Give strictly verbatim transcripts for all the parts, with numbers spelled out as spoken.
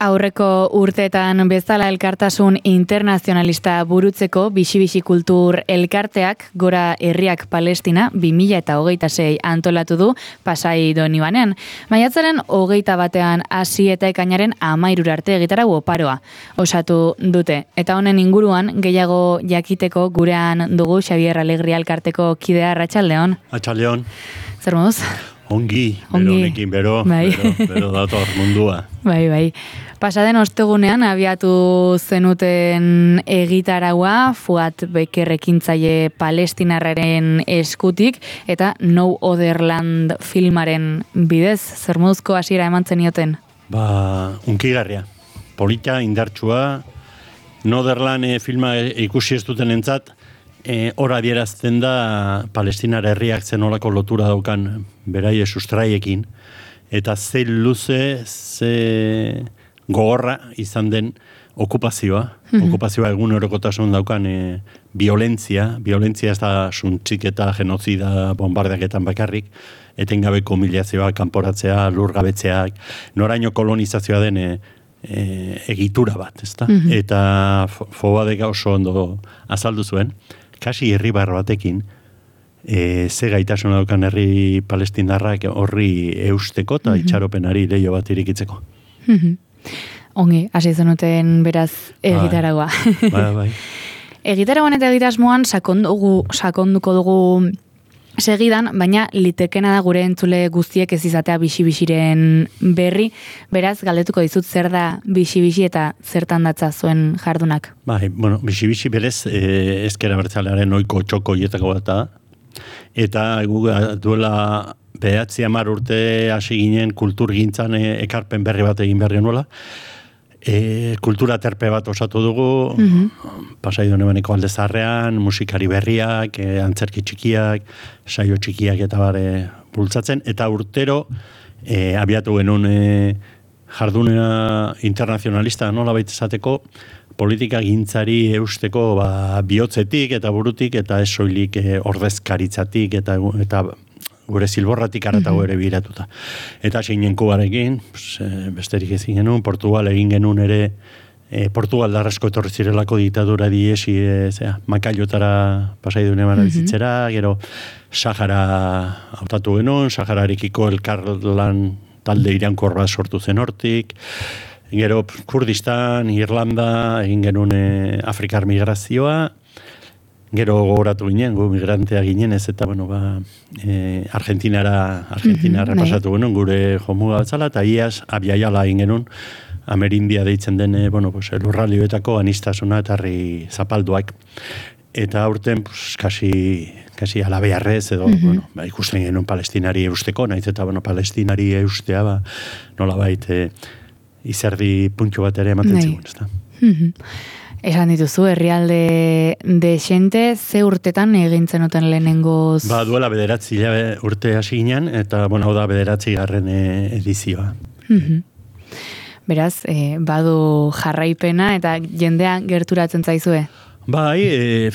Aurreko urteetan bezala elkartasun internazionalista burutzeko Bixi-Bixi Kultur elkarteak Gora Herriak Palestina bi mila hogeita sei antolatu du Pasai Donibanean. Maiatzaren hogeita batean hasi eta ekainaren hamairura arte egitarau oparoa osatu dute. Eta honen inguruan gehiago jakiteko gurean dugu Xabier Alegria elkarteko kidea. Arratsaldeon. Arratsaldeon. Zer moduz? Ongi, bero honekin, bero, bai. bero, bero dator mundua. Bai, bai. Pasaden ostegunean abiatu zenuten egitaraua Fuat Beker ekintzaile palestinarraren eskutik eta No Other Land filmaren bidez. Zer moduzko hasiera eman zenioten? Ba, unkigarria. Polita, indartsua, No Other Land filma ikusi ez duten entzat, E, hor adierazten da Palestinar herriak zenolako lotura daukan beraie sustraiekin, eta ze luze, ze gogorra izan den okupazioa, mm-hmm. okupazioa egun orokotasun daukan e, violentzia, violentzia ez da suntzik eta genozida bombardeaketan bakarrik, etengabeko humiliazioa, kanporatzea, lurgabetzeak, noraino kolonizazioa den e, e, egitura bat, ezta? Mm-hmm. Eta Fobadek oso ondo azaldu zuen, kasi irribar batekin, e, ze gaitasun daukan herri palestindarrak horri eusteko eta mm-hmm. itxaropenari leio bat irikitzeko. Mm-hmm. Ongi, hasi zenuten beraz egitaragua. Bai, bai, bai. Egitaragoan eta egitasmoan sakondugu, sakonduko dugu segidan, baina litekena da gure entzule guztiek ez izatea Bixi-Bixiren berri. Beraz, galdetuko dizut zer da Bixi-Bixi eta zertan datza zuen jardunak. Bai, bueno, Bixi-Bixi berez eh, ezker abertzalearen ohiko txoko hietako bat da. Eta gu duela behatzi hamar urte hasi ginen kulturgintzan e, ekarpen berri bat egin behar genuela. E, kultura terpe bat osatu dugu, mm-hmm. Pasai Donibaneko alde zaharrean, musikari berriak, e, antzerki txikiak, saio txikiak eta bare bultzatzen, eta urtero e, abiatu genuen e, jardunea internazionalista nola baita esateko, politika gintzari eusteko ba, bihotzetik eta burutik, eta ez soilik e, ordezkaritzatik eta, eta gure zilborratik aratago ere biratuta. Eta zeinen Kubarekin, pues, besterik ezin genuen, Portugal egin genuen ere, e, Portugal darrasko etorri zirelako diktadura diesi, e, zera, Makaiotara Pasai Donibanera bizitzera, gero Sahara hautatu genuen, Sahararekiko elkarlan talde irankor bat sortu zen hortik, gero Kurdistan, Irlanda, egin genuen e, Afrikar migrazioa, gero gogoratu ginen, gu migrantea ginen ez, eta bueno, ba, e, Argentinara, Argentinara mm-hmm, pasatu genuen, gure jomuga batzala, eta iaz abiaiala egin genuen, Amerindia deitzen den, bueno, pues, lurralioetako anistasuna eta herri zapalduak. Eta aurten, pues, kasi, kasi alabearrez, edo, mm-hmm. bueno, ba, ikusten genuen palestinari eusteko, nahiz eta, bueno, palestinari eustea, ba, nola baita, izerdi puntxo bat ere ematen zigun, ez da. Mm-hmm. Esan dituzu, herrialde de xente, ze urtetan egin zenuten lehenengoz? Ba, duela bederatzi urte hasi ginen, eta, bueno, hau da bederatzi garren edizioa. Mm-hmm. Beraz, eh, badu jarraipena eta jendea gerturatzen zaizue? Bai, e,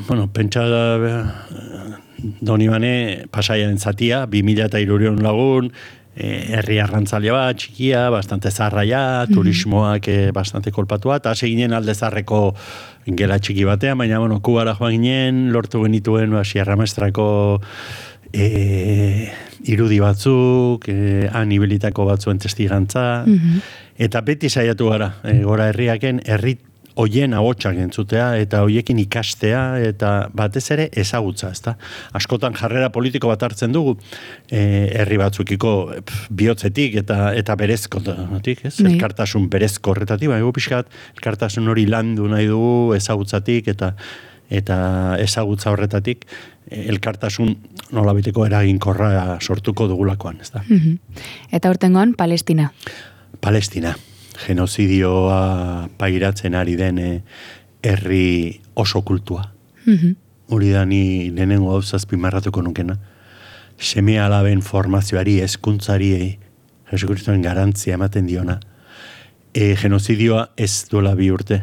bueno, pentsa da, Donibane Pasaiaren zatia, bi mila eta hirurehun lagun, herri arrantzalea bat, txikia, bastante zarraia, mm-hmm. turismoak eh, bastante kolpatua, eta hasi ginen alde zarreko gela txiki batean, baina, bueno, Kubara joan ginen, lortu genituen, ba, Sierra Maestrako eh, irudi batzuk, eh, han ibilitako batzuen testigantza, mm-hmm. eta beti saiatu gara, eh, Gora Herriaken, herri hoien ahotsak entzutea, eta hoiekin ikastea, eta batez ere ezagutza, ezta? Askotan jarrera politiko bat hartzen dugu, e, herri batzukiko bihotzetik eta eta berezkotatik, ez? Nee. Elkartasun berezko horretatik, baina pixkat, elkartasun hori landu nahi dugu ezagutzatik eta eta ezagutza horretatik, elkartasun nolabiteko eraginkorra sortuko dugulakoan, ezta? Mm-hmm. Eta urtengoan, Palestina. Palestina. Genozidioa pairatzen ari den herri oso kultua. Mm-hmm. Hori da ni lehenengo hau zazpimarratuko nukena. Seme alaben formazioari, hezkuntzari, Jesu Kristoen garantzia ematen diona. E, genozidioa ez duela bi urte.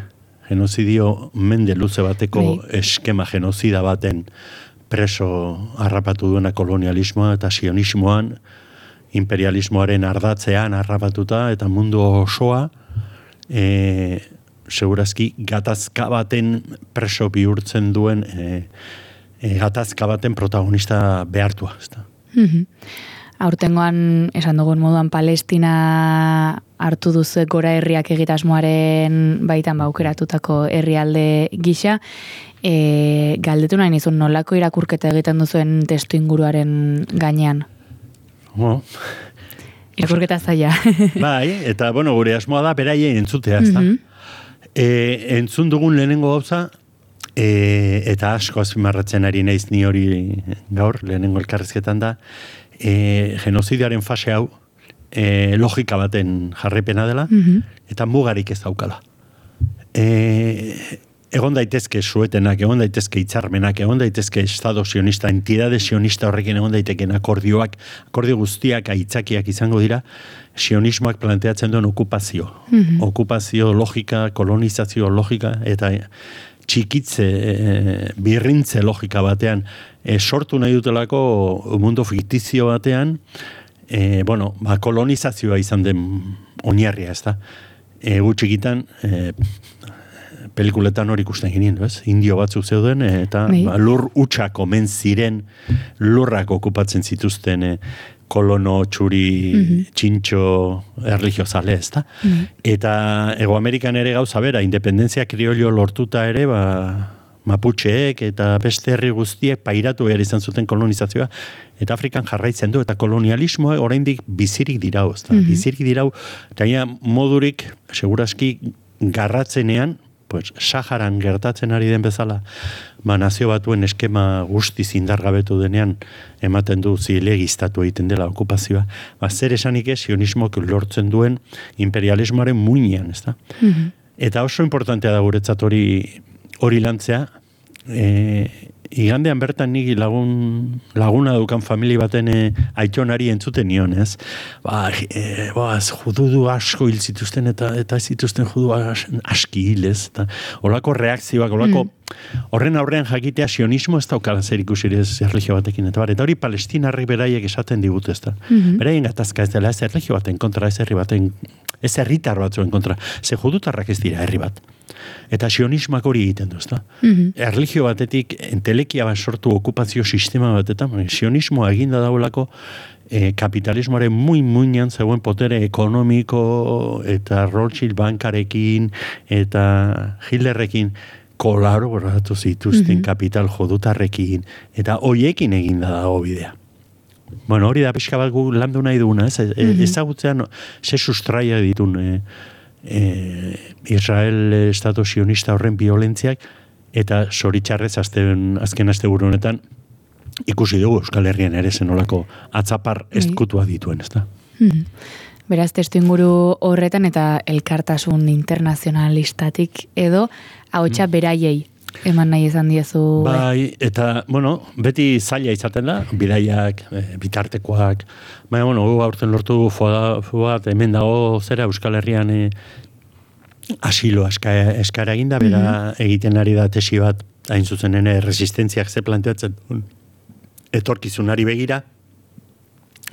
Genozidio mende luze bateko Nei. eskema genozida baten preso harrapatu duena kolonialismoa eta sionismoan imperialismoaren ardatzean harrapatuta eta mundu osoa e, segurazki gatazka baten preso bihurtzen duen e, e, gatazka baten protagonista behartua. Ezta? Mm-hmm. Aurtengoan, esan dugun moduan, Palestina hartu duzu gora herriak egitasmoaren baitan baukeratutako herrialde gisa. E, galdetu nahi nizun, nolako irakurketa egiten duzuen testu inguruaren gainean? Oh. Irakurketa zaila. Bai, eta bueno, gure asmoa da beraien entzutea, ezta? Mm-hmm. E, entzun dugun lehenengo gauza, e, eta asko azpimarratzen ari naiz ni hori gaur, lehenengo elkarrizketan da, e, genozidiaren fase hau e, logika baten jarrepena dela, mm-hmm. eta mugarik ez daukala. E, egon daitezke suetenak, egon daitezke hitzarmenak, egon daitezke estado sionista, entidade sionista horrekin egon daiteken akordioak, akordio guztiak aitzakiak izango dira, sionismoak planteatzen duen okupazio. Mm-hmm. Okupazio logika, kolonizazio logika, eta txikitze, e, birrintze logika batean, e, sortu nahi dutelako mundu fiktizio batean, e, bueno, ba, kolonizazioa izan den oinarria, ez da? E, gutxikitan, e, pelikuletan hori ikusten ginen, ez? Indio batzuk zeuden, eta ba, lur utxak omen ziren lurrak okupatzen zituzten e, kolono, txuri, mm-hmm. txintxo, erligiozale, ez da? Mm-hmm. Eta Ego Amerikan ere gauza bera, independentzia kriollo lortuta ere, ba, Maputxeek eta beste herri guztiek pairatu behar izan zuten kolonizazioa, eta Afrikan jarraitzen du, eta kolonialismoa oraindik bizirik dirau, ez da? Mm-hmm. Bizirik dirau, eta modurik, seguraski, garratzenean, pues, Saharan gertatzen ari den bezala, ba, nazio batuen eskema guztiz indargabetu denean ematen du zilegiztatu egiten dela okupazioa. Ba, zer esanik ez, sionismoak lortzen duen imperialismoaren muinean, ez da? Mm-hmm. Eta oso importantea da guretzat hori hori lantzea, e, igandean bertan nik lagun, laguna dukan famili baten e, aitonari entzuten nion, ez? Ba, e, ba, jududu asko hil zituzten eta eta zituzten judu as, aski hil, ez? Eta olako reakzioak, olako mm. horren aurrean jakitea sionismo ez daukala zer ikusirez erlijio batekin, eta bar, eta hori palestinarri beraiek esaten digut, ez da? Mm-hmm. Beraien gatazka ez dela, ez erlijio baten kontra, ez herri baten, ez herritar batzuen kontra, ze judutarrak ez dira herri bat. Eta sionismak hori egiten du, ezta? Mm-hmm. Erlijio batetik, entelekia bat sortu okupazio sistema batetan, sionismoa eginda daulako e, kapitalismoaren muy-muinan zegoen potere ekonomiko eta Rothschild bankarekin eta Hitlerrekin kolaboratu zituzten mm-hmm. kapital jodutarrekin eta hoiekin eginda dago bidea. Bueno, hori da pixka bat gu landu nahi duguna, ez? Mm-hmm. Ezagutzean ze sustraia ditun e, E, Israel estatu sionista horren violentziak eta zoritxarrez azten, azken asteburu honetan ikusi dugu Euskal Herrian ere zenolako atzapar ezkutua dituen, ezta? Hmm. Beraz, testu inguru horretan eta elkartasun internazionalistatik edo ahotsa hmm. beraiei eman nahi izan diezu. Bai, eta, bueno, beti zaila izaten da, bidaiak, e, bitartekoak, baina, bueno, aurten lortu fuat, hemen dago zera Euskal Herrian e, asilo eskara, eskara eginda, bera mm-hmm. egiten ari da tesi bat, hain zuzen ene, resistentziak ze planteatzen, etorkizunari begira,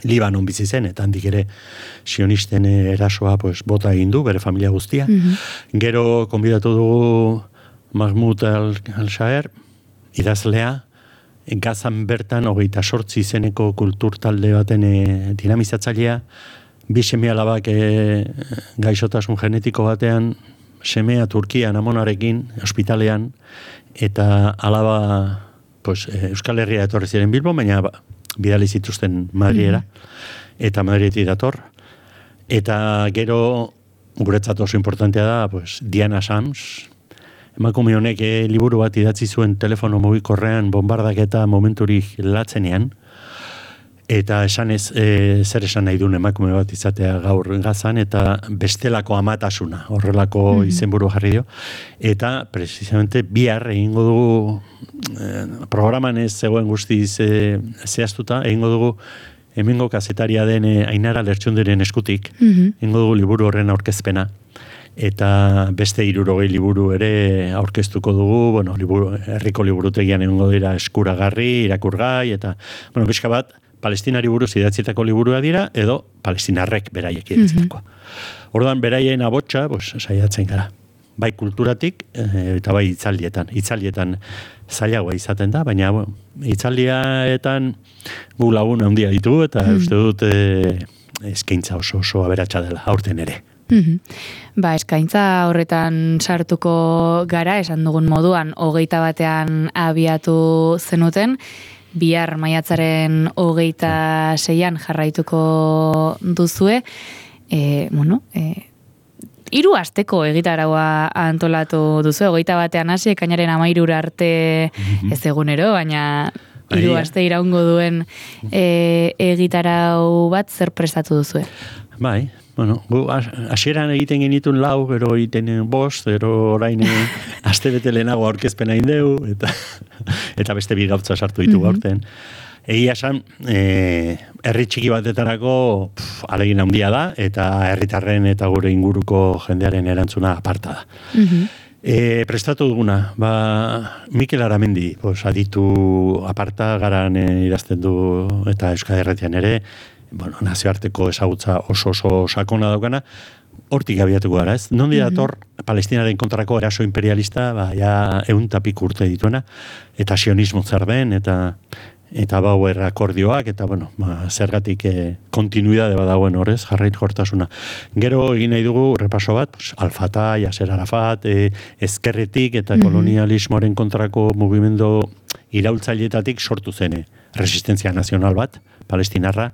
Libanon bizi zen, eta handik ere sionisten erasoa pues, bota egin du, bere familia guztia. Mm-hmm. Gero, konbidatu dugu Mahmoud al-Shaer, idazlea, Gazan bertan, hogeita sortzi izeneko kulturtalde baten e, dinamizatzailea, bi seme alabak e, gaixotasun genetiko batean, semea Turkian amonarekin, ospitalean, eta alaba pues, Euskal Herria etorri ziren Bilbo, baina bidali zituzten Madriera, mm-hmm. eta Madrietik dator. Eta gero, guretzat oso importantea da, pues, Diana Sams, emakume honek eh, liburu bat idatzi zuen telefono mugikorrean bombardaketa momenturik latzenean, eta esan ez, e, zer esan nahi duen emakume bat izatea gaur Gazan, eta bestelako amatasuna, horrelako mm-hmm. izenburu jarri dio, eta precisamente bihar egingo dugu, e, programan ez zegoen guztiz e, zehaztuta, egingo dugu hemengo kazetaria den e, Ainara Lertxunderen eskutik, mm-hmm. egingo dugu liburu horren aurkezpena, eta beste hirurogei liburu ere aurkeztuko dugu, bueno, liburu, herriko liburutegian egongo dira eskuragarri, irakurgai, eta, bueno, pixka bat, palestinari buruz idatzitako liburua dira, edo palestinarrek beraiek idatzitako. Mm-hmm. Orduan, beraien abotsa, pues, saiatzen gara. Bai kulturatik, e, eta bai itzaldietan. Itzaldietan zailagoa izaten da, baina bueno, itzaldietan gu lagun handia ditugu, eta mm-hmm. uste dut e, eskaintza oso oso aberatsa dela, aurten ere. Mm-hmm. Ba, eskaintza horretan sartuko gara, esan dugun moduan, hogeita batean abiatu zenuten, bihar maiatzaren hogeita seian jarraituko duzue, e, bueno, e, hiru asteko egitaraua antolatu duzu, hogeita batean hasi, ekainaren hamairura arte mm-hmm. ez egunero, baina hiru aste iraungo duen e, egitarau bat zer prestatu duzue? Bai, bueno, gu hasieran egiten genitun lau, gero egiten bost, gero orain aste bete lehenago aurkezpena indeu, eta, eta beste bi gautza sartu ditu gaurten. Mm-hmm. Egia esan, e, herri txiki batetarako pf, alegin handia da, eta herritarren eta gure inguruko jendearen erantzuna aparta da. Mm-hmm. E, prestatu duguna, ba, Mikel Aramendi, pues, aditu aparta garan e, idazten du eta Euskadi Erretian ere, bueno, nazioarteko ezagutza oso oso sakona daukana, hortik abiatuko gara, ez? Nondi dator mm-hmm. Palestinaren kontrako eraso imperialista, ba, ja eun tapik urte dituena, eta sionismo zer den, eta eta Bauer akordioak, eta bueno, ba, zergatik e, kontinuidade badagoen horrez, jarrait jortasuna. Gero egin nahi dugu repaso bat, pues, Al-Fatah, Yasser Arafat, e, ezkerretik eta mm-hmm. kolonialismoaren kontrako mugimendu iraultzaileetatik sortu zen resistentzia nazional bat, palestinarra,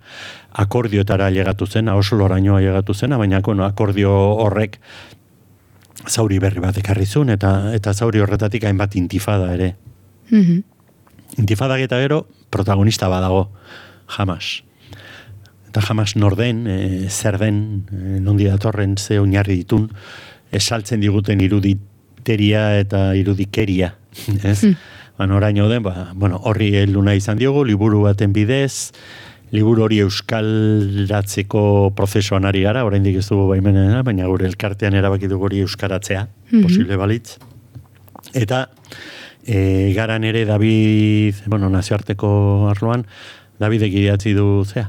akordioetara llegatu zen, Osloraino llegatu zen, baina bueno, akordio horrek zauri berri bat ekarri zuen, eta, eta zauri horretatik hainbat intifada ere. Mm-hmm. Intifadak eta gero, protagonista badago, Hamas. Eta Hamas norden, e, zer den, e, nondi datorren, ze oinarri ditun, esaltzen diguten iruditeria eta irudikeria. Ez? Mm. Ba, oraino den, ba, bueno, horri heluna izan diogu, liburu baten bidez, liburu hori euskaratzeko prozesuan ari gara, oraindik ez dugu baimena, baina gure elkartean erabaki dugu hori euskaratzea, mm-hmm. posible balitz. Eta E, garan ere David, bueno, nazioarteko arloan, Davidek idatzi du zea,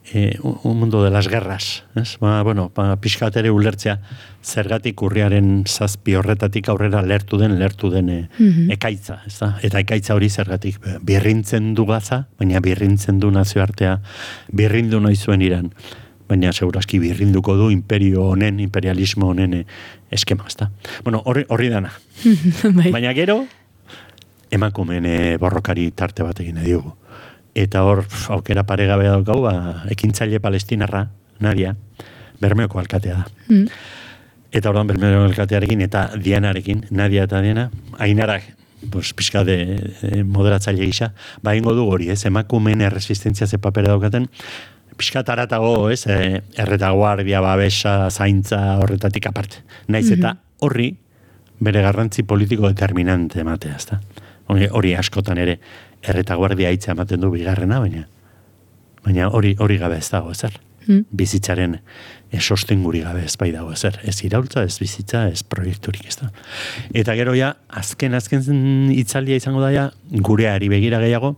e, un mundo de las guerras, ez? Ba, bueno, ba, pixkat ere ulertzea, zergatik urriaren zazpi horretatik aurrera lertu den, lertu den e, mm-hmm. ekaitza, ez da? Eta ekaitza hori zergatik birrintzen du Gaza, baina birrintzen du nazioartea, birrindu nahi zuen Iran, baina segurazki birrinduko du imperio honen, imperialismo honen e, eskema, ez da? Bueno, horri, horri dana. Baina gero, emakumeen borrokari tarte bat egin diogu. Eta hor, aukera paregabe daukau, ba, ekintzaile palestinarra, Nadia, Bermeoko alkatea da. Mm. Eta ordan Bermeoko alkatearekin eta Dianarekin, Nadia eta Diana, Ainarak, pues, pixka de, de moderatzaile gisa, ba, ingo du hori, ez, emakumeen erresistentzia ze papera daukaten, pixka taratago, ez, e, erretaguardia, babesa, zaintza, horretatik aparte. Naiz eta horri, bere garrantzi politiko determinante ematea, ez da. Hori askotan ere erretaguardia hitza ematen du bigarrena, baina baina hori hori gabe ez dago ezer. Mm. Bizitzaren sostenguri gabe ez bai dago ezer. Ez iraultza, ez bizitza, ez proiekturik ez da. Eta gero ja, azken azken hitzaldia izango da ja, gureari begira gehiago,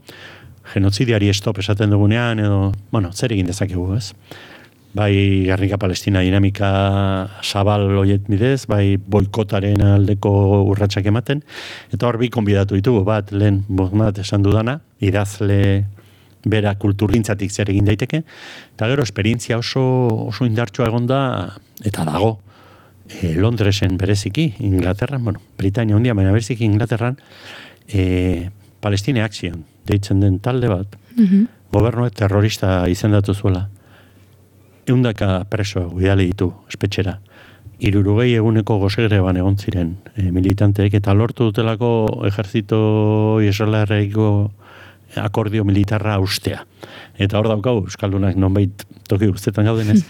genozidiari stop esaten dugunean, edo, bueno, zer egin dezakegu, ez? Bai Gernika Palestina dinamika zabal hoiet bidez, bai boikotaren aldeko urratsak ematen, eta hor bi konbidatu ditugu, bat lehen bozmat esan dudana, idazle bera kulturgintzatik zer egin daiteke, eta gero esperientzia oso, oso indartsua egonda, eta dago, e, Londresen bereziki, Inglaterran, bueno, Britania hundia, baina bereziki Inglaterran, e, Palestine Action, deitzen den talde bat, mm-hmm. gobernuek terrorista izendatu zuela, eundaka preso bidali ditu espetxera. Hirurogei eguneko gozegreban egon ziren e, militanteek, eta lortu dutelako ejerzito israelarreko akordio militarra ustea. Eta hor daukau, euskaldunak nonbait toki guztetan gauden ez,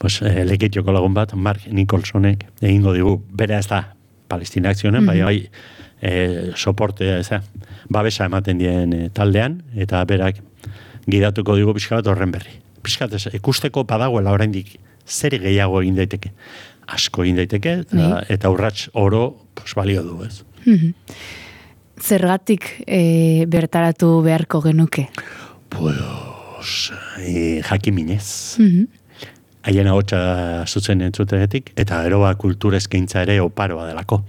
pues, e, leketioko lagun bat, Mark Nicholsonek egingo digu, bera ez da Palestina Akzionen, bai, bai, e, soporte, ez da, babesa ematen dien e, taldean, eta berak gidatuko digu pixka bat horren berri. Piskat, ikusteko badagoela oraindik zer gehiago egin daiteke. Asko egin daiteke, eta, eta urrats oro pues, balio du, ez? Mm-hmm. Zergatik e, bertaratu beharko genuke? Pues, pues, e, jakiminez. Mhm. Haien ahotsa zuzen entzutegetik, eta gero ba, kultura eskaintza ere oparoa delako.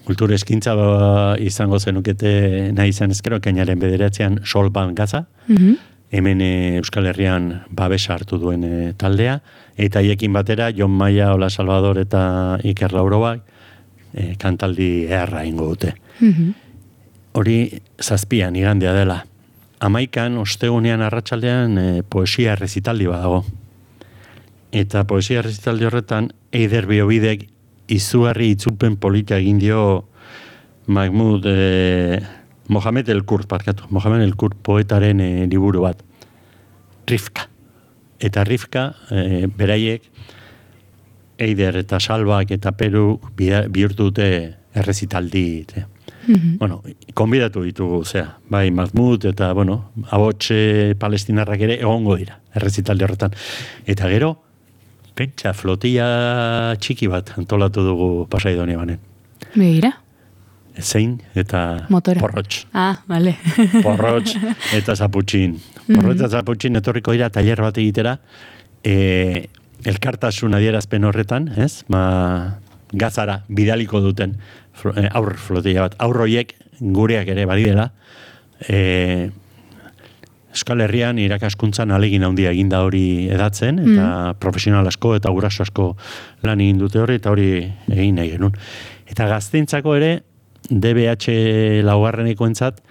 Kultura eskaintza ba, izango zenukete nahi izan ezkero, ekainaren bederatzean Solban Gaza, Mhm. hemen e, Euskal Herrian babesa hartu duen e, taldea, eta haiekin batera Jon Maia, Ola Salvador eta Iker Laurobak e, kantaldi eharra ingo dute. Mhm. Hori zazpian igandea dela. Hamaikan, ostegunean arratsaldean e, poesia errezitaldi badago. Eta poesia errezitaldi horretan, Eider Biobidek izugarri itzulpen polita egin dio Mahmoud eh, Mohamed El Kurt, parkatu, Mohamed El Kurt poetaren eh, liburu bat. Rifka. Eta Rifka, eh, beraiek, Eider eta Salbak eta Peru bihurtu dute errezitaldi. Mm-hmm. Bueno, konbidatu ditugu, zea, bai Mahmoud eta, bueno, abotxe palestinarrak ere egongo dira, errezitaldi horretan. Eta gero, pentsa, flotilla txiki bat antolatu dugu Pasaidonia banen. Begira. Zein eta Motora. Porrotx. Ah, vale. Porrotx eta Zaputxin. Porrotx eta Zaputxin etorriko dira tailer bat egitera, e, elkartasun adierazpen horretan, ez? Ma, Gazara bidaliko duten aur flotilla bat. Aurroiek gureak ere badidela, e, Euskal Herrian irakaskuntzan alegin handia eginda hori edatzen, eta mm. profesional asko eta guraso asko lan egin dute hori, eta hori egin nahi genuen. Eta gazteintzako ere, D B H laugarrenekoentzat,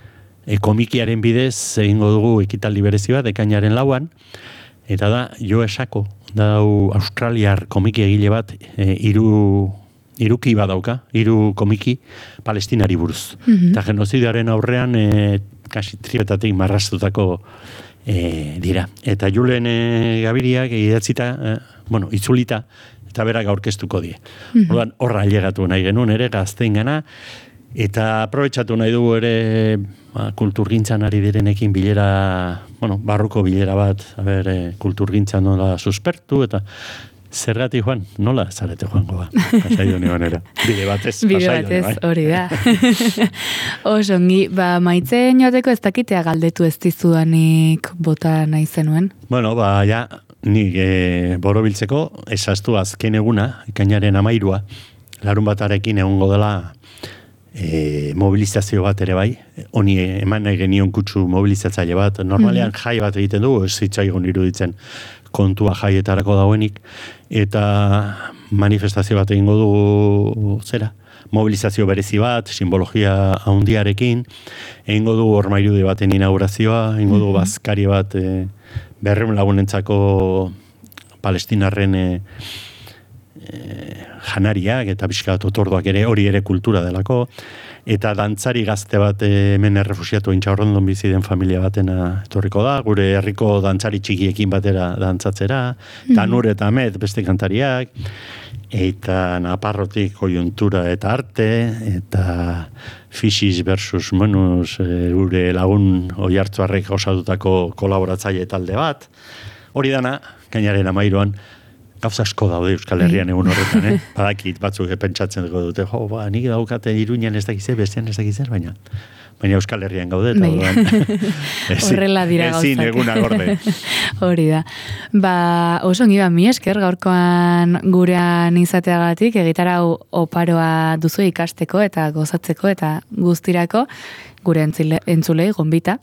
e, komikiaren bidez egingo dugu ekitaldi berezi bat, ekainaren lauan, eta da, Jo Esako, da australiar komiki egile bat, e, iru, iruki badauka, hiru komiki palestinari buruz. Mm-hmm. Eta genozidearen aurrean, e, kasi tribetatik marrastutako e, dira. Eta Julen e, Gabiriak idatzita, e, bueno, itzulita, eta berak aurkeztuko die. Mm-hmm. Orduan, horra ailegatu nahi genuen ere gazteingana, eta aprobetxatu nahi dugu ere ba, kulturgintzan ari direnekin bilera, bueno, barruko bilera bat, a ber, e, kulturgintzan nola suspertu, eta zergatik joan, nola zarete joango ba, Pasaidonia banera. Bide batez, Bide batez, hori da. Osongi, ba, maitzen joateko ez dakitea galdetu ez dizudanik bota nahi zenuen? Bueno, ba, ja, nik e, borobiltzeko, esaztu azken eguna, ekainaren amairua, larun batarekin egongo dela e, mobilizazio bat ere bai, honi eman nahi genion kutsu mobilizatzaile bat, normalean mm-hmm. jai bat egiten dugu, ez zitzaigun iruditzen kontua jaietarako dauenik, eta manifestazio bat egingo dugu zera, mobilizazio berezi bat, simbologia handiarekin, egingo dugu ormairude baten inaugurazioa, egingo dugu bazkari bat e, berreun lagunentzako palestinarren e, e, janariak eta pixkat otorduak ere, hori ere kultura delako, eta dantzari gazte bat hemen errefusiatu intxaurrondon bizi den familia batena etorriko da, gure herriko dantzari txikiekin batera dantzatzera, mm-hmm. Tanur eta Amet beste kantariak, eta Naparrotik kojuntura eta arte, eta Fixis versus Menus gure lagun oihartzuarrek osatutako kolaboratzaile talde bat, hori dana, kainaren amairuan, gauza asko daude Euskal Herrian egun horretan, eh? Badakit batzuk pentsatzen dugu dute, jo, ba, nik daukate Iruñan ez dakizer, bestean ez dakizer, baina baina Euskal Herrian gaude, eta horrela dira gauzak. Ezin eguna gorde. Hori da. Ba, oso ongi ba, mi esker gaurkoan gurean izateagatik, egitarau oparoa duzu ikasteko eta gozatzeko eta guztirako gure entzulei gonbita.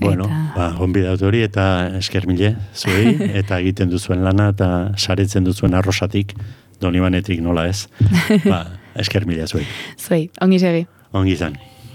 Bueno, eta... ba, gonbidatu hori eta esker mile, zuei, eta egiten duzuen lana eta saretzen duzuen arrosatik, Donibanetik nola ez. Ba, esker mile zuei. Zuei, ongi segi. Ongi izan.